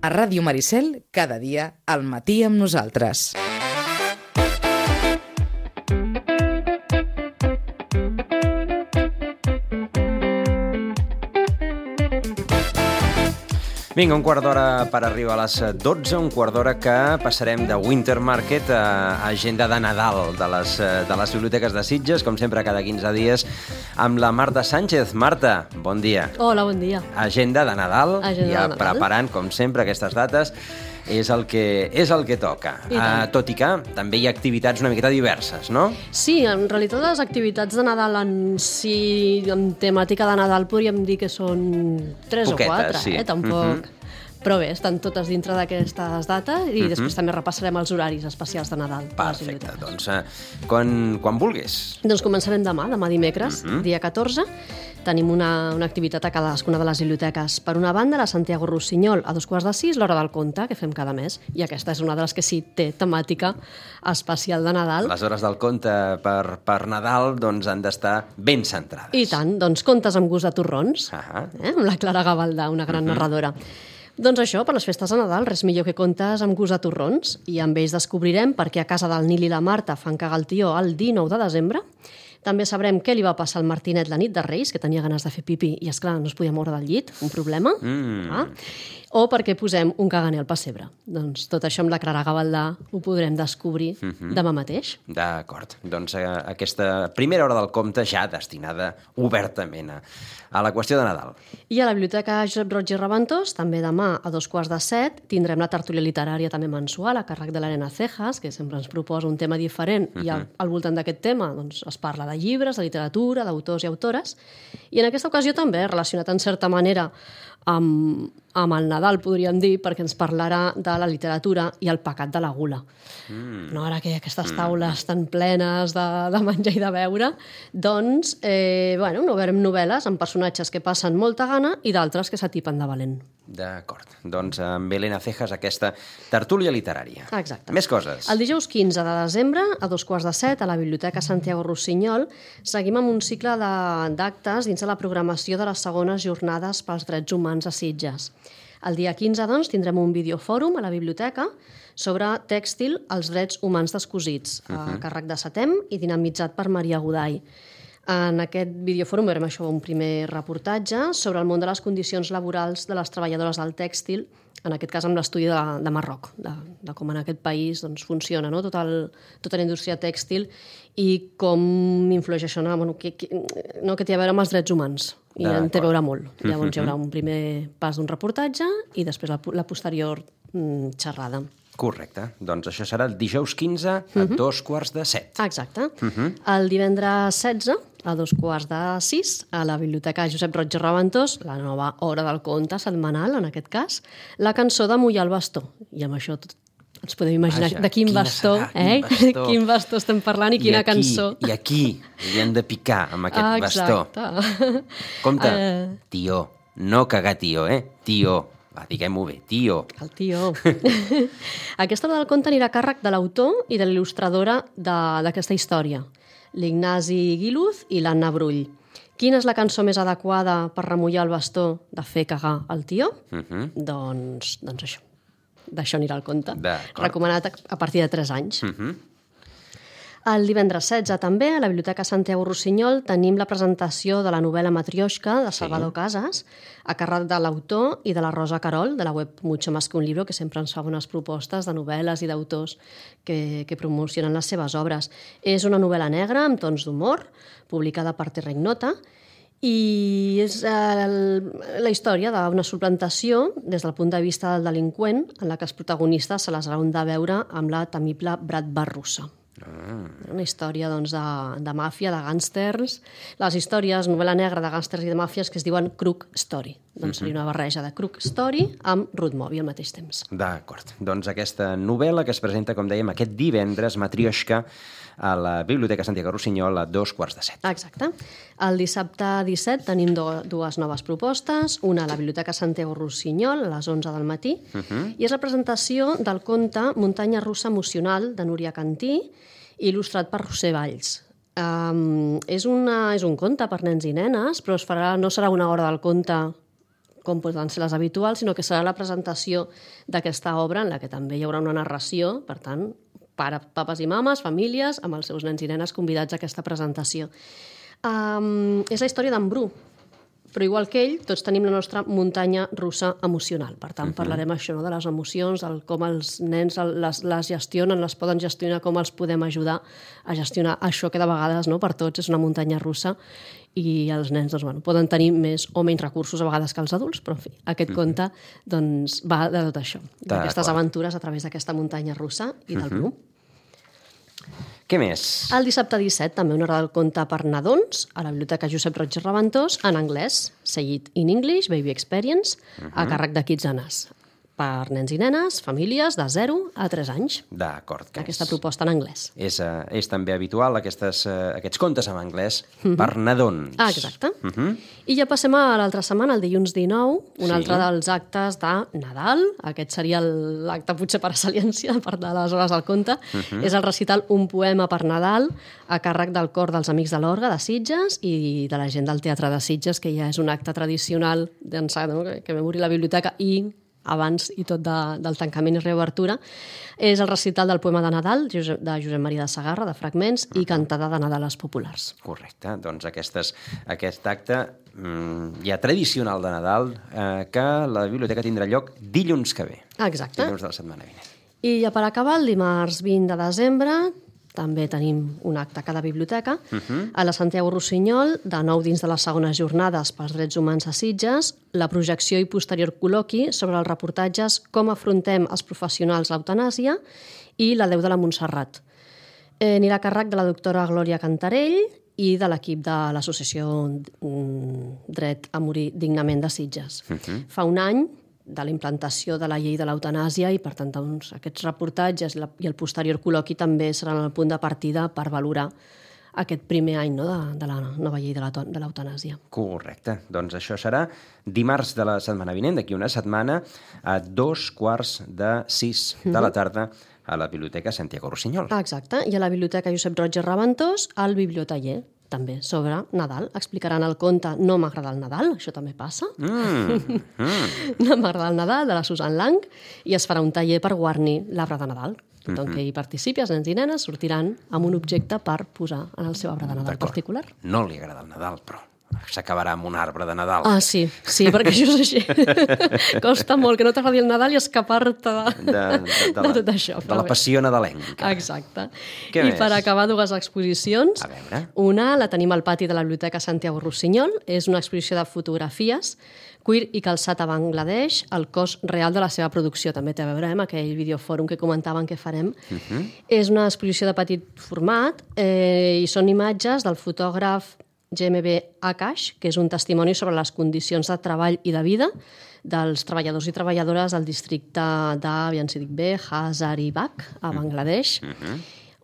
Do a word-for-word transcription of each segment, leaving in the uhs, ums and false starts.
A Ràdio Maricel, cada dia, al matí amb nosaltres. Vinga, un quart d'hora per arribar a les dotze, un quart d'hora que passarem de Winter Market a agenda de Nadal de les, de les biblioteques de Sitges, com sempre cada quinze dies, amb la Marta Sánchez. Marta, bon dia. Hola, bon dia. Agenda de Nadal, agenda ja de Nadal. Preparant, com sempre, aquestes dates. És el que, és el que toca. Uh, tot i que també hi ha activitats una miqueta diverses, no? Sí, en realitat les activitats de Nadal en si en temàtica de Nadal podríem dir que són tres Poquetes, o quatre, sí. eh? Tampoc... Uh-huh. Però bé, estan totes dintre d'aquestes dates i uh-huh. després també repassarem els horaris especials de Nadal. Perfecte, doncs uh, quan, quan vulguis. Doncs començarem demà, demà dimecres, uh-huh. dia catorze. Tenim una, una activitat a cadascuna de les biblioteques. Per una banda, la Santiago Rossinyol, a dos quarts de sis, l'Hora del Conte, que fem cada mes. I aquesta és una de les que sí té temàtica especial de Nadal. Les hores del conte per, per Nadal doncs, han d'estar ben centrades. I tant, doncs contes amb gust de torrons, uh-huh. eh? amb la Clara Gavaldà, una gran uh-huh. narradora. Doncs això, per les festes de Nadal, res millor que contes amb gust de torrons. I amb ells descobrirem per què a casa del Nil i la Marta fan cagar el tió el dinou de desembre. També sabrem què li va passar al Martinet la nit de Reis, que tenia ganes de fer pipí i, esclar, no es podia moure del llit, un problema. Mm. Ah? O perquè posem un caganer al pessebre. Doncs tot això amb la Clara Gavaldà ho podrem descobrir mm-hmm. demà mateix. D'acord. Doncs eh, aquesta primera hora del compte ja destinada obertament a, a la qüestió de Nadal. I a la Biblioteca Josep Roig i Reventós, també demà a dos quarts de set, tindrem la tertúlia literària també mensual a càrrec de l'Helena Cejas, que sempre ens proposa un tema diferent mm-hmm. i al, al voltant d'aquest tema doncs, es parla de llibres, de literatura, d'autors i autores. I en aquesta ocasió també, relacionat en certa manera amb, amb el Nadal, podríem dir, perquè ens parlarà de la literatura i el pecat de la gula. Mm. No, ara que hi ha aquestes taules tan plenes de, de menjar i de beure, doncs, eh, bueno, novenem novel·les amb personatges que passen molta gana i d'altres que s'atipen de valent. D'acord. Doncs amb Helena Cejas aquesta tertúlia literària. Exacte. Més coses. El dijous quinze de desembre, a dos quarts de set, a la Biblioteca Santiago Rossinyol, seguim amb un cicle d'actes dins de la programació de les segones jornades pels drets humans a Sitges. El dia quinze, doncs, tindrem un videofòrum a la biblioteca sobre tèxtil, els drets humans descosits, uh-huh. a càrrec de Setem i dinamitzat per Maria Godall. En aquest videofòrum veurem això, un primer reportatge sobre el món de les condicions laborals de les treballadores del tèxtil, en aquest cas amb l'estudi de, de Marroc, de, de com en aquest país doncs, funciona, no? Tot el, tota la indústria tèxtil i com influeix això, no? Bueno, que, que, no, que té a veure amb els drets humans. I en té a veure molt. Llavors hi haurà un primer pas d'un reportatge i després la, la posterior mm, xerrada. Correcte. Doncs això serà el dijous quinze a uh-huh. dos quarts de set. Exacte. Uh-huh. El divendres setze a dos quarts de sis a la Biblioteca Josep Roig i Reventós, la nova Hora del Conte setmanal, en aquest cas, la cançó de Mullar el bastó. I amb això tot ens podem imaginar Vaja, de quin bastó, serà, eh? Quin bastó. quin bastó estem parlant i, I quina aquí, cançó. I aquí li hem de picar amb aquest ah, bastó. Exacte. Compte, uh... tió, no cagar tió, eh? Tió. Va, diguem-ho bé, tio. El tio. Aquesta hora del conte anirà a càrrec de l'autor i de l'il·lustradora d'aquesta història, l'Ignasi Guiluz i l'Anna Brull. Quina és la cançó més adequada per remullar el bastó de fer cagar el tio? Uh-huh. Doncs, doncs això. D'això anirà el conte. Recomanat a partir de tres anys. Uh-huh. El divendres setze també, a la Biblioteca Santiago Rossinyol, tenim la presentació de la novel·la Matrioshka de Salvador sí. Casas, a càrrec de l'autor i de la Rosa Carol, de la web Mucho Más que un Libro, que sempre ens fa bones propostes de novel·les i d'autors que, que promocionen les seves obres. És una novel·la negra amb tons d'humor, publicada per Terra Ignota, i és el, la història d'una suplantació des del punt de vista del delinqüent, en la que els protagonistes se les hauran de veure amb la temible Bratva russa. Ah. Una història doncs, de, de màfia, de gàngsters, les històries, novel·la negra de gàngsters i de màfies que es diuen Crook Story. Doncs uh-huh. seria una barreja de Crook Story amb Ruth Moby al mateix temps. D'acord. Doncs aquesta novel·la que es presenta, com dèiem, aquest divendres, Matrioshka, a la Biblioteca Santiago Rossinyol a dos quarts de set. Exacte. El dissabte disset tenim do, dues noves propostes, una a la Biblioteca Santiago Rossinyol a les onze del matí, uh-huh. i és la presentació del conte Muntanya russa emocional de Núria Cantí, il·lustrat per Roser Valls. Um, és, una, és un conte per nens i nenes, però es farà, no serà una hora del conte com poden ser les habituals, sinó que serà la presentació d'aquesta obra en la que també hi haurà una narració, per tant, pare, papes i mames, famílies, amb els seus nens i nenes convidats a aquesta presentació. Um, és la història d'en Bru, però igual que ell, tots tenim la nostra muntanya russa emocional. Per tant, uh-huh. parlarem això, no? De les emocions, el, com els nens les, les gestionen, les poden gestionar, com els podem ajudar a gestionar això que de vegades, no, per tots és una muntanya russa, i els nens doncs, bueno, poden tenir més o menys recursos a vegades que els adults, però en fi, aquest uh-huh. conte doncs, va de tot això, d'aquestes aventures a través d'aquesta muntanya russa i del uh-huh. Bru. Què més? El dissabte disset també una hora del conte per nadons a la Biblioteca Josep Roig i Reventós en anglès, Say It in English, Baby Experience, uh-huh. a càrrec de Kitsanas, per nens i nenes, famílies de zero a tres anys. D'acord. Aquesta és, proposta en anglès. És, uh, és també habitual aquestes, uh, aquests contes en anglès uh-huh. per nadons. Ah, exacte. Uh-huh. I ja passem a l'altra setmana, el dilluns dinou, un sí. altre dels actes de Nadal. Aquest seria l'acte potser per excel·lència, per de les hores del conte. Uh-huh. És el recital Un poema per Nadal, a càrrec del cor dels Amics de l'Orga de Sitges i de la gent del Teatre de Sitges, que ja és un acte tradicional d'ençà, no? que vam obrir la biblioteca i abans i tot de, del tancament i reobertura, és el recital del poema de Nadal de Josep Maria de Sagarra, de Fragments, uh-huh. i cantada de Nadales populars. Correcte. Doncs aquestes, aquest acte mmm, ja tradicional de Nadal eh, que la biblioteca tindrà lloc dilluns que ve. Exacte. Dilluns de la setmana vinent. I ja per acabar, el dimarts vint de desembre també tenim un acte a cada biblioteca. Uh-huh. A la Santiago Rossinyol, de nou dins de les segones jornades pels drets humans a Sitges, la projecció i posterior col·loqui sobre els reportatges Com afrontem els professionals l'eutanàsia i La Déu de la Montserrat. Eh, anirà a càrrec de la doctora Glòria Cantarell i de l'equip de l'associació Dret a morir dignament de Sitges. Uh-huh. Fa un any de la implantació de la llei de l'eutanàsia i, per tant, doncs, aquests reportatges i el posterior col·loqui també seran el punt de partida per valorar aquest primer any, no?, de, de la nova llei de l'eutanàsia. Correcte. Doncs això serà dimarts de la setmana vinent, d'aquí una setmana, a dos quarts de sis de la tarda a la Biblioteca Santiago Rossinyol. Exacte. I a la Biblioteca Josep Roig i Reventós, al Bibliotaller, també sobre Nadal. Explicaran el conte No m'agrada el Nadal, això també passa. Mm, mm. No m'agrada el Nadal, de la Susan Lang, i es farà un taller per guarnir l'arbre de Nadal. Tothom mm-hmm. que hi participi, els nens i nenes, sortiran amb un objecte per posar en el seu arbre de Nadal particular. No li agrada el Nadal, però s'acabarà amb un arbre de Nadal. Ah, sí, sí, perquè això és així. Costa molt que no t'agradi el Nadal i escapar-te de, de, de, de, de, de tot això. De la passió nadalenca. Exacte. Què I més? Per acabar, dues exposicions. A veure. Una la tenim al pati de la Biblioteca Santiago Rossinyol. És una exposició de fotografies, cuir i calçat a Bangladesh, el cost real de la seva producció. També té a veure amb aquell videofòrum que comentaven que farem. Uh-huh. És una exposició de petit format eh, i són imatges del fotògraf G M B Akash, que és un testimoni sobre les condicions de treball i de vida dels treballadors i treballadores del districte de, aviam si dic bé, Hazaribagh, a Bangladesh, uh-huh.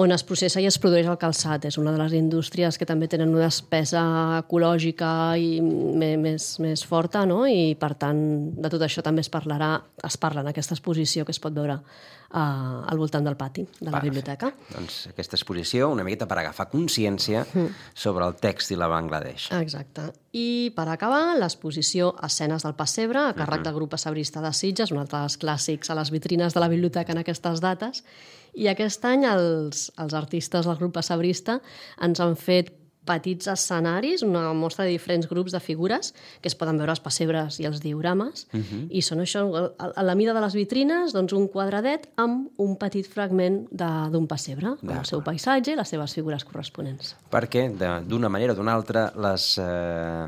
on es processa i es produeix el calçat. És una de les indústries que també tenen una despesa ecològica i més, més forta, no? I per tant, de tot això també es parlarà, es parla en aquesta exposició que es pot veure Uh, al voltant del pati de la Va, biblioteca. Doncs aquesta exposició una miqueta per agafar consciència mm. sobre el tèxtil a Bangladesh. Exacte. I per acabar, l'exposició Escenes del Pessebre, a càrrec mm-hmm. del grup pessebrista de Sitges, un altre dels clàssics a les vitrines de la biblioteca en aquestes dates. I aquest any els, els artistes del grup pessebrista ens han fet petits escenaris, una mostra de diferents grups de figures que es poden veure als pessebres i als diorames, uh-huh. i són això, a la mida de les vitrines, doncs un quadradet amb un petit fragment d'un pessebre, amb el seu paisatge i les seves figures corresponents. Perquè, d'una manera o d'una altra, les, eh,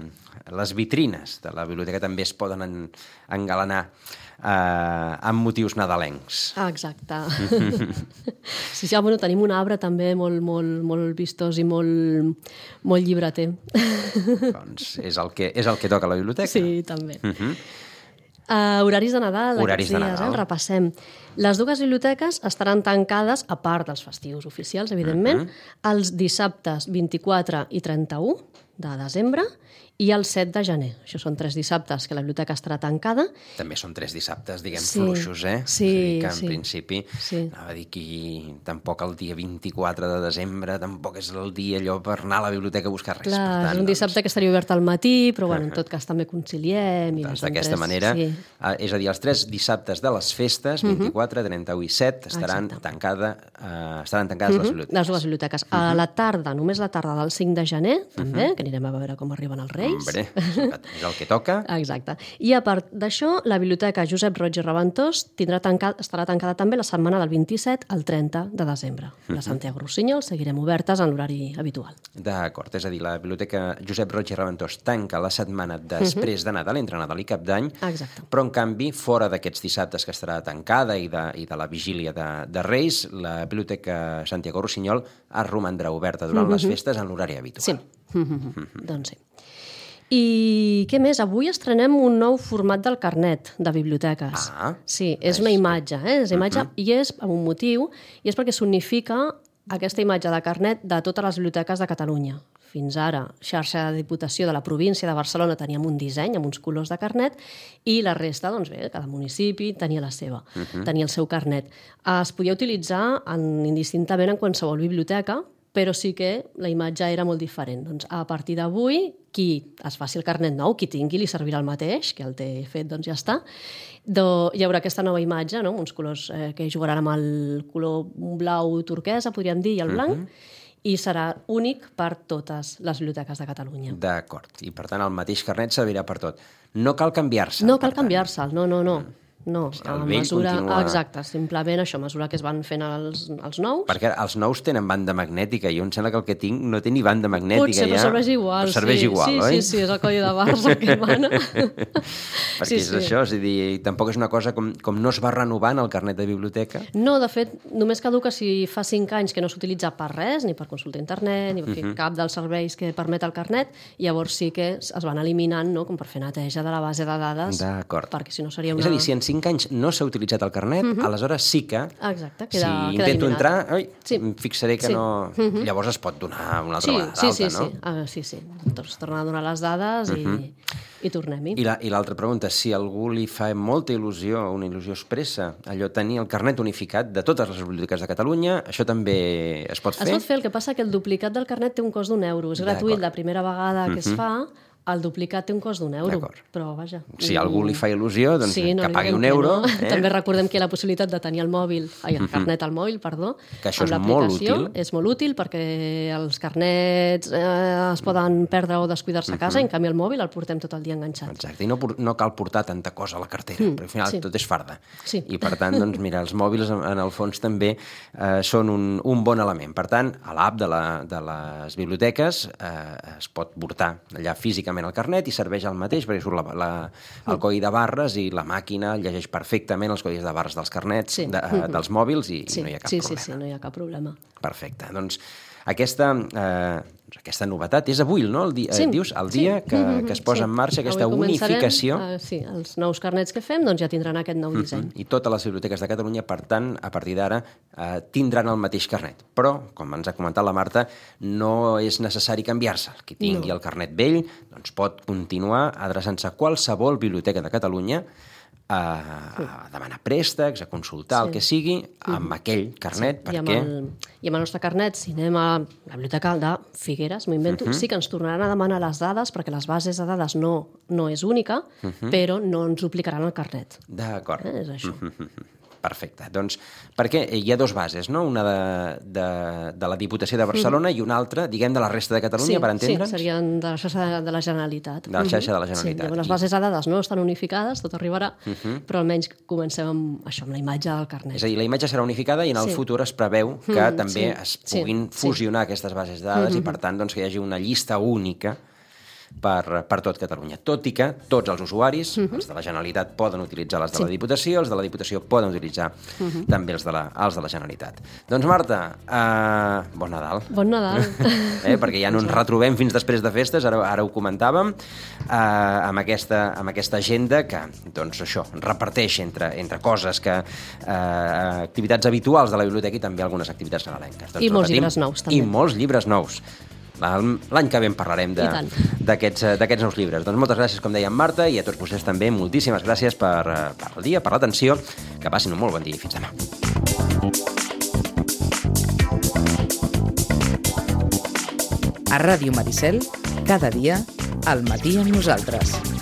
les vitrines de la biblioteca també es poden en, engalanar Uh, amb motius nadalencs. Ah, exacte. Sí, sí, bueno, tenim un arbre també molt, molt, molt vistós i molt, molt llibreter. Doncs és el, que, és el que toca a la biblioteca. Sí, també. Uh-huh. uh, horaris de Nadal, horaris aquests de dies, Nadal. Eh? Repassem. Les dues biblioteques estaran tancades, a part dels festius oficials, evidentment, uh-huh. els dissabtes vint-i-quatre i trenta-u de desembre i el set de gener. Això són tres dissabtes que la biblioteca estarà tancada. També són tres dissabtes, diguem, Sí, fluixos, eh? sí, És a dir, que en sí. principi, Sí. anava a dir que tampoc el dia vint-i-quatre de desembre tampoc és el dia allò per anar a la biblioteca a buscar res. Clar, per tant, és un dissabte doncs, que estaria obert al matí, però bueno, en tot cas també conciliem. I doncs són d'aquesta tres- manera, Sí. eh, és a dir, els tres dissabtes de les festes, vint-i-quatre, trenta-u i set, estaran, Exacte. tancada, eh, estaran tancades les biblioteques. Les dues biblioteques. A la tarda, només la tarda del cinc de gener, també, que anirem a veure com arriben els Reis. Hombre, és el que toca. Exacte. I a part d'això, la biblioteca Josep Roig i Reventós tindrà tancat, estarà tancada també la setmana del vint-i-set al trenta de desembre. La Santiago Rossinyol seguirem obertes en l'horari habitual. D'acord, és a dir, la biblioteca Josep Roig i Reventós tanca la setmana després de Nadal, entre Nadal i Cap d'Any, Exacte. però en canvi, fora d'aquests dissabtes que estarà tancada i de, i de la vigília de, de Reis, la biblioteca Santiago Rossinyol es romandrà oberta durant les festes en l'horari habitual. Sí. Doncs sí. I què més? Avui estrenem un nou format del carnet de biblioteques. Ah, sí, és una imatge, eh? És imatge i és amb un motiu, i és perquè s'unifica aquesta imatge de carnet de totes les biblioteques de Catalunya. Fins ara, xarxa de Diputació de la província de Barcelona teníem un disseny amb uns colors de carnet i la resta, doncs bé, cada municipi tenia la seva, tenia el seu carnet. Es podia utilitzar en, indistintament en qualsevol biblioteca, però sí que la imatge era molt diferent. Doncs a partir d'avui, qui es faci el carnet nou, qui tingui, li servirà el mateix, que el té fet, doncs ja està. Do, hi haurà aquesta nova imatge, no? Uns colors eh, que jugaran amb el color blau turquesa, podríem dir, i el blanc, i serà únic per totes les biblioteques de Catalunya. D'acord, i per tant el mateix carnet servirà per tot. No cal canviar-se. No per cal tant. canviar-se'l, no, no, no. No, El a vell mesura... continua- Exacte, simplement això, a mesura que es van fent els, els nous. Perquè els nous tenen banda magnètica, i jo em sembla que el que tinc no té ni banda magnètica. Potser, però ja. serveix igual. Però serveix sí, igual, sí, oi? Sí, sí, és el codi de barres el que mana. Perquè Sí, és sí. això, és a dir, tampoc és una cosa com, com no es va renovant el carnet de biblioteca. No, de fet, només caduca si fa cinc anys que no s'utilitza per res, ni per consulta a internet, ni per fer cap dels serveis que permet el carnet, i llavors sí que es van eliminant, no?, com per fer neteja de la base de dades. D'acord. Perquè si no seria una... És a dir, si en cinc anys no s'ha utilitzat el carnet, aleshores sí que, Exacte, si queda, queda intento eliminat. entrar, oi, Sí. em fixaré que Sí. no... Llavors es pot donar una altra Sí, vegada sí, d'alta, sí, no? sí. Ah, sí, sí. Doncs tornar a donar les dades i, i tornem-hi. I la- i l'altra pregunta, si a algú li fa molta il·lusió, una il·lusió expressa, allò tenir el carnet unificat de totes les biblioteques de Catalunya, això també es pot fer? Es pot fer, el que passa que el duplicat del carnet té un cost d'un euro. És gratuït D'acord. la primera vegada que es fa, el duplicat té un cost d'un euro. D'acord. Però, vaja... Si a algú li fa il·lusió, doncs Sí, no que li pagui diguem un que euro. no. Eh? També recordem que hi ha la possibilitat de tenir el mòbil, ai, el carnet al mòbil, perdó, Que això amb és molt l'aplicació. útil. És molt útil perquè els carnets eh, es poden perdre o descuidar-se a casa, en canvi el mòbil el portem tot el dia enganxat. Exacte, i no, por- no cal portar tanta cosa a la cartera, mm, perquè al final sí. tot és farda. Sí. I per tant, doncs, mira, els mòbils en, en el fons també eh, són un, un bon element. Per tant, a l'app de, la, de les biblioteques eh, es pot portar allà físicament el carnet i serveix el mateix, perquè surt la, la, el codi de barres i la màquina llegeix perfectament els codis de barres dels carnets, Sí. de, eh, dels mòbils, i, Sí, i no hi ha cap sí, problema. sí, sí, no hi ha cap problema. Perfecte. Doncs aquesta, eh, aquesta novetat és avui, no? El dia, Sí, eh, dius, el sí. dia que, que es posa Sí. en marxa aquesta Avui començarem, unificació. eh, sí, els nous carnets que fem doncs ja tindran aquest nou disseny. I totes les biblioteques de Catalunya, per tant, a partir d'ara, eh, tindran el mateix carnet. Però, com ens ha comentat la Marta, no és necessari canviar-se. Qui tingui No. el carnet vell doncs pot continuar adreçant-se a qualsevol biblioteca de Catalunya a, a demanar préstecs, a consultar, Sí. el que sigui, amb aquell carnet, I amb, perquè... el, I amb el nostre carnet, si anem a la biblioteca de Figueres, m'ho invento, Mhm. sí que ens tornaran a demanar les dades, perquè les bases de dades no, no és única, Mhm. però no ens duplicaran el carnet. D'acord. Eh? És això. Perfecte. Doncs, perquè hi ha dos bases, no? Una de, de, de la Diputació de Barcelona i una altra, diguem, de la resta de Catalunya, sí, per entendre'ns? Sí, serien de la xarxa de la Generalitat. De la xarxa de la Mhm. Generalitat. Sí, llavors les I- bases de dades no estan unificades, tot arribarà, però almenys comencem amb això, amb la imatge del carnet. És a dir, la imatge serà unificada i en el Sí. futur es preveu que Mm, també sí, es sí, puguin sí. fusionar aquestes bases de dades i, per tant, doncs, que hi hagi una llista única per, per tot Catalunya. Tot i que tots els usuaris, els de la Generalitat, poden utilitzar les de la Diputació, els de la Diputació poden utilitzar també els de la, els de la Generalitat. Doncs, Marta, uh, bon Nadal. Bon Nadal. Eh, perquè ja no ens retrobem fins després de festes, ara, ara ho comentàvem, eh, amb, aquesta, amb aquesta agenda que, doncs això, reparteix entre, entre coses que... Eh, activitats habituals de la biblioteca i també algunes activitats nadalenques. Doncs I molts repetim, llibres nous, també. I molts llibres nous. l'any que ve en parlarem d'aquests nous llibres. Doncs moltes gràcies, com deia en Marta, i a tots vostès també, moltíssimes gràcies per, per el dia, per l'atenció, que passin un molt bon dia i fins demà. A Ràdio Maricel, cada dia, al matí amb nosaltres.